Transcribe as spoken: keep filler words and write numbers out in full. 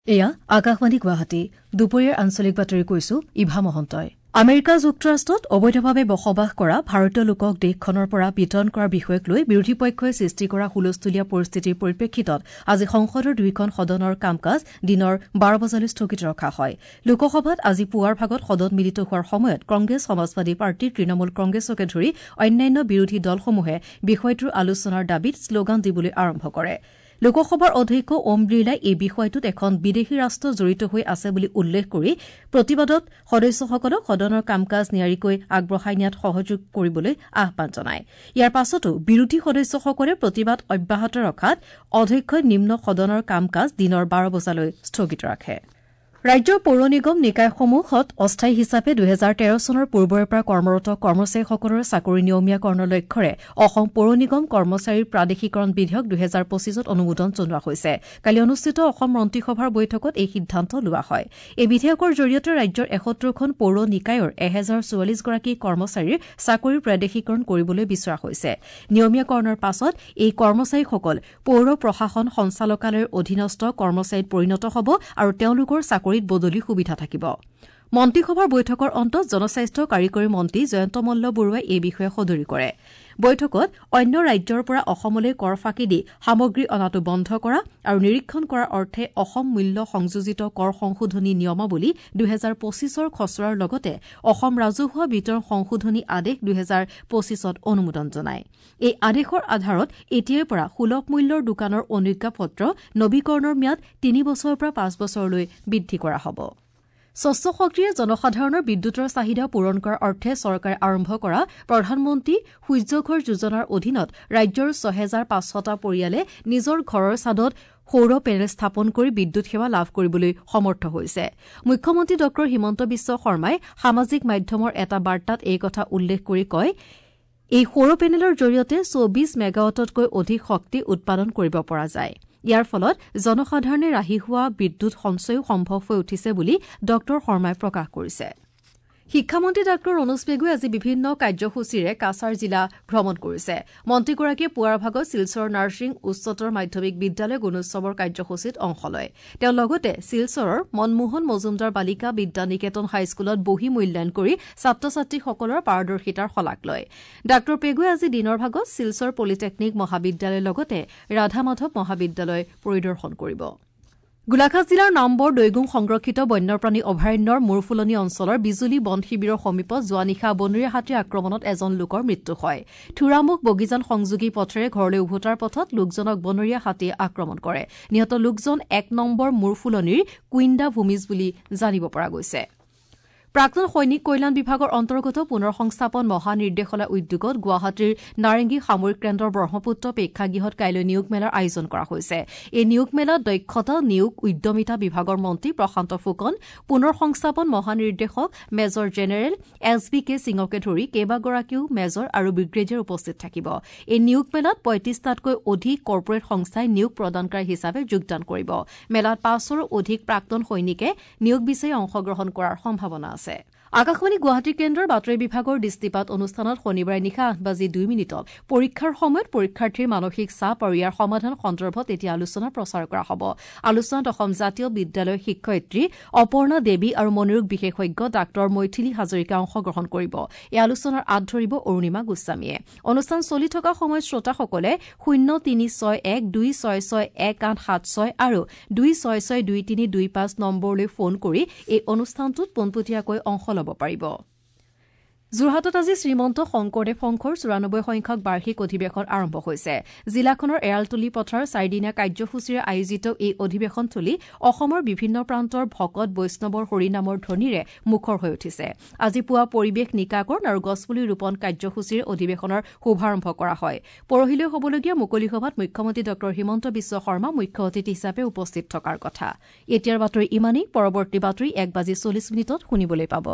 এয়া আকাশবাণী গুৱাহাটী দুপৰীয়াৰ আঞ্চলিক বাতৰি কৈছো ইভা মহন্তই। আমেৰিকা যুক্তৰাষ্ট্ৰত অবৈধভাৱে বসবাস কৰা ভাৰতীয় লোকক দেশখনৰ পৰা বিতৰণ কৰাৰ বিষয়ক লৈ বিৰোধী পক্ষই সৃষ্টি কৰা হুলস্থুলীয়া পৰিস্থিতিৰ পৰিপ্ৰেক্ষিতত আজি সংসদৰ দুয়োখন সদনৰ কাম-কাজ দিনৰ বাৰ বজালৈ স্থগিত ৰখা হয়। লোকসভাত আজি পুৱাৰ ভাগত সদন মিলিত হোৱাৰ সময়ত কংগ্ৰেছ, সমাজবাদী পাৰ্টি, তৃণমূল কংগ্ৰেছকে ধৰি অন্যান্য বিৰোধী দলসমূহে বিষয়টোৰ আলোচনাৰ দাবীত শ্লোগান দিবলৈ আৰম্ভ কৰে। লোকসভাৰ অধ্যক্ষ ওম বিৰলাই এই বিষয়টোত এখন বিদেশী ৰাষ্ট্ৰ জড়িত হৈ আছে বুলি উল্লেখ কৰি প্ৰতিবাদত সদস্যসকলক সদনৰ কাম-কাজ নিয়াৰিকৈ আগবঢ়াই নিয়াত সহযোগ কৰিবলৈ আহ্বান জনায়। ইয়াৰ পাছতো বিৰোধী সদস্যসকলে প্ৰতিবাদ অব্যাহত ৰখাত অধ্যক্ষই নিম্ন সদনৰ কাম-কাজ দিনৰ বাৰ বজালৈ স্থগিত ৰাখে। ৰাজ্যৰ পৌৰ নিগম নিকায়সমূহত অস্থায়ী হিচাপে দুহেজাৰ তেৰ চনৰ পূৰ্বৰে পৰা কৰ্মৰত কৰ্মচাৰীসকলৰ চাকৰি নিয়মীয়াকৰণৰ লক্ষ্যৰে অসম পৌৰ নিগম কৰ্মচাৰীৰ প্ৰাদেশিকৰণ বিধেয়ক দুহেজাৰ পঁচিছত অনুমোদন জনোৱা হৈছে। কালি অনুষ্ঠিত অসম মন্ত্ৰীসভাৰ বৈঠকত এই সিদ্ধান্ত লোৱা হয়। এই বিধেয়কৰ জৰিয়তে ৰাজ্যৰ এসত্তৰখন পৌৰ নিকায়ৰ এহেজাৰ চৌৱাল্লিছগৰাকী কৰ্মচাৰীৰ চাকৰিৰ প্ৰাদেশিকৰণ কৰিবলৈ বিচৰা হৈছে। নিয়মীয়াকৰণৰ পাছত এই কৰ্মচাৰীসকল পৌৰ প্ৰশাসন সঞ্চালকালয়ৰ অধীনস্থ কৰ্মচাৰীত পৰিণত হ'ব আৰু তেওঁলোকৰ চাকৰি বদলি সুবিধা থাকিব। মন্ত্ৰীসভাৰ বৈঠকৰ অন্তত জনস্বাস্থ্য কাৰিকৰী মন্ত্ৰী জয়ন্ত মল্ল বৰুৱাই এই বিষয়ে সদৰি কৰে। বৈঠকত অন্য ৰাজ্যৰ পৰা অসমলৈ কৰ ফাঁকি দি সামগ্ৰী অনাটো বন্ধ কৰা আৰু নিৰীক্ষণ কৰাৰ অৰ্থে অসম মূল্য সংযোজিত কৰ সংশোধনী নিয়মাৱলী দুহেজাৰ পঁচিছৰ খচৰাৰ লগতে অসম ৰাজহুৱা বিতৰণ সংশোধনী আদেশ দুহেজাৰ পঁচিছত অনুমোদন জনায়। এই আদেশৰ আধাৰত এতিয়াৰ পৰা সুলভ মূল্যৰ দোকানৰ অনুজ্ঞাপত্ৰ নবীকৰণৰ ম্যাদ তিনি বছৰৰ পৰা পাঁচ বছৰলৈ বৃদ্ধি কৰা হ'ব। স্বচ্ছ শক্তিৰে জনসাধাৰণৰ বিদ্যুতৰ চাহিদা পূৰণ কৰাৰ অৰ্থে চৰকাৰে আৰম্ভ কৰা প্ৰধানমন্ত্ৰী সূৰ্যঘৰ যোজনাৰ অধীনত ৰাজ্যৰ ছহেজাৰ পাঁচশটা পৰিয়ালে নিজৰ ঘৰৰ ছাদত সৌৰ পেনেল স্থাপন কৰি বিদ্যুৎ সেৱা লাভ কৰিবলৈ সমৰ্থ হৈছে। মুখ্যমন্ত্ৰী ডঃ হিমন্ত বিশ্ব শৰ্মাই সামাজিক মাধ্যমৰ এটা বাৰ্তাত এই কথা উল্লেখ কৰি কয়, এই সৌৰ পেনেলৰ জৰিয়তে চৌবিশ মেগাৱাটতকৈ অধিক শক্তি উৎপাদন কৰিব পৰা যায়। ইয়াৰ ফলত জনসাধাৰণে ৰাহি হোৱা বিদ্যুৎ সঞ্চয়ো সম্ভৱ হৈ উঠিছে বুলি ডঃ শৰ্মাই প্ৰকাশ কৰিছে। শিক্ষামন্ত্ৰী ডাঃ ৰণোজ পেগুৱে আজি বিভিন্ন কাৰ্যসূচীৰে কাছাৰ জিলা ভ্ৰমণ কৰিছে। মন্ত্ৰীগৰাকীয়ে পুৱাৰ ভাগত শিলচৰ নাৰ্ছিং উচ্চতৰ মাধ্যমিক বিদ্যালয় গুণোৎসৱৰ কাৰ্যসূচীত অংশ লয়। তেওঁ লগতে শিলচৰৰ মনমোহন মজুমদাৰ বালিকা বিদ্যা নিকেতন হাইস্কুলত বহী মূল্যায়ন কৰি ছাত্ৰ ছাত্ৰীসকলৰ পাৰদৰ্শিতাৰ শলাগ লয়। ডাঃ পেগুৱে আজি দিনৰ ভাগত শিলচৰ পলিটেকনিক মহাবিদ্যালয়ৰ লগতে ৰাধা মাধৱ মহাবিদ্যালয় পৰিদৰ্শন কৰিব। গোলাঘাট জিলাৰ নামবৰ দৈগুং সংৰক্ষিত বন্যপ্ৰাণী অভয়াৰণ্যৰ মূৰফুলনি অঞ্চলৰ বিজুলী বন শিবিৰৰ সমীপত যোৱা নিশা বনৰীয়া হাতীৰ আক্ৰমণত এজন লোকৰ মৃত্যু হয়। থুৰামুখ বগীজান সংযোগী পথেৰে ঘৰলৈ উভতাৰ পথত লোকজনক বনৰীয়া হাতীয়ে আক্ৰমণ কৰে। নিহত লোকজন এক নম্বৰ মূৰফুলনিৰ কুইন্দা ভূমিজ বুলি জানিব পৰা গৈছে। প্ৰাক্তন সৈনিক কল্যাণ বিভাগৰ অন্তৰ্গত পুনৰ সংস্থাপন মহানিৰ্দেশালয় উদ্যোগত গুৱাহাটীৰ নাৰেংগী সামৰিক কেন্দ্ৰৰ ব্ৰহ্মপুত্ৰ প্ৰেক্ষাগৃহত কাইলৈ নিয়োগ মেলাৰ আয়োজন কৰা হৈছে। এই নিয়োগ মেলাত দক্ষতা নিয়োগ উদ্যমিতা বিভাগৰ মন্ত্ৰী প্ৰশান্ত ফুকন, পুনৰ সংস্থাপন মহানিৰ্দেশক major general S B K সিঙকে ধৰি কেইবাগৰাকীও মেজৰ আৰু ব্ৰিগেডিয়াৰ উপস্থিত থাকিব। এই নিয়োগ মেলাত পঁয়ত্ৰিশটাতকৈ অধিক কৰ্পৰেট সংস্থাই নিয়োগ প্ৰদানকাৰী হিচাপে যোগদান কৰিব। মেলাত পাঁচশৰো অধিক প্ৰাক্তন সৈনিকে নিয়োগ বিচাৰি অংশগ্ৰহণ কৰাৰ সম্ভাৱনা আছে। আকাশবাণী গুৱাহাটী কেন্দ্ৰৰ বাতৰি বিভাগৰ দৃষ্টিপাত অনুষ্ঠানত শনিবাৰে নিশা আঠ বাজি দুই মিনিটত পৰীক্ষাৰ সময়ত পৰীক্ষাৰ্থীৰ মানসিক চাপ আৰু ইয়াৰ সমাধান সন্দৰ্ভত এতিয়া আলোচনা প্ৰচাৰ কৰা হ'ব। আলোচনাত অসম জাতীয় বিদ্যালয়ৰ শিক্ষয়িত্ৰী অপৰ্ণা দেৱী আৰু মনোৰোগ বিশেষজ্ঞ ডাঃ মৈথিলী হাজৰিকাই অংশগ্ৰহণ কৰিব। এই আলোচনাৰ আঁত ধৰিব অৰুণিমা গোস্বামীয়ে। অনুষ্ঠান চলি থকা সময়ত শ্ৰোতাসকলে শূন্য তিনি ছয় এক দুই ছয় ছয় এক আঠ সাত ছয় আৰু দুই ছয় ছয় দুই তিনি দুই পাঁচ নম্বৰলৈ ফোন কৰি এই অনুষ্ঠানটোত পোনপটীয়াকৈ অংশ ল'ব পাৰিব। যোৰহাটত আজি শ্ৰীমন্ত শংকৰদেৱ সংঘৰ চৌৰানব্বৈ সংখ্যক বাৰ্ষিক অধিৱেশন আৰম্ভ হৈছে। জিলাখনৰ এৰালতলি পথাৰ চাৰিদিনীয়া কাৰ্যসূচীৰে আয়োজিত এই অধিৱেশনথলী অসমৰ বিভিন্ন প্ৰান্তৰ ভকত বৈষ্ণৱৰ হৰিনামৰ ধ্বনিৰে মুখৰ হৈ উঠিছে। আজি পুৱা পৰিৱেশ নিকাকৰণ আৰু গছপুলি ৰোপণ কাৰ্যসূচীৰে অধিৱেশনৰ শুভাৰম্ভ কৰা হয়। পৰহিলৈ হ'বলগীয়া মুকলি সভাত মুখ্যমন্ত্ৰী ডঃ হিমন্ত বিশ্ব শৰ্মা মুখ্য অতিথি হিচাপে উপস্থিত থকাৰ কথা। এতিয়াৰ বাতৰি ইমানেই। পৰৱৰ্তী বাতৰি এক বাজি চল্লিছ মিনিটত শুনিবলৈ পাব।